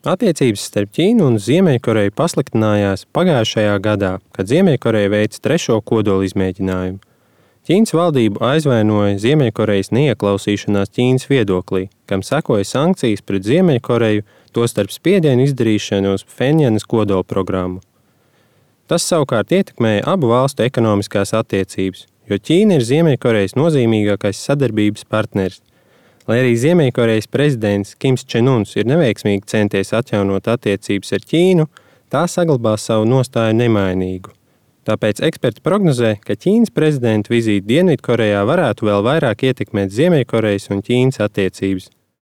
Attiecības starp Ķīnu un Ziemeļkoreju pasliktinājās pagājušajā gadā, kad Ziemeļkoreja veica 3. kodola izmēģinājumu. Ķīnas valdību aizvainoja Ziemeļkorejas neieklausīšanās Ķīnas viedoklī, kam sekoja sankcijas pret Ziemeļkoreju, tostarp spiedienu izdarīšanu uz Phenjanas kodola programmu. Tas savukārt ietekmēja abu valstu ekonomiskās attiecības, jo Ķīna ir Ziemeļkorejas nozīmīgākais sadarbības partneris. Lai arī Ziemeļkorejas prezidents Kims Čenuns ir neveiksmīgi centies atjaunot attiecības ar Ķīnu, tā saglabās savu nostāju nemainīgu. Tāpēc eksperti prognozē, ka Ķīnas prezidenta vizīte Dienvidkorejā varētu vēl vairāk ietekmēt Ziemeļkorejas un Ķīnas attiecības.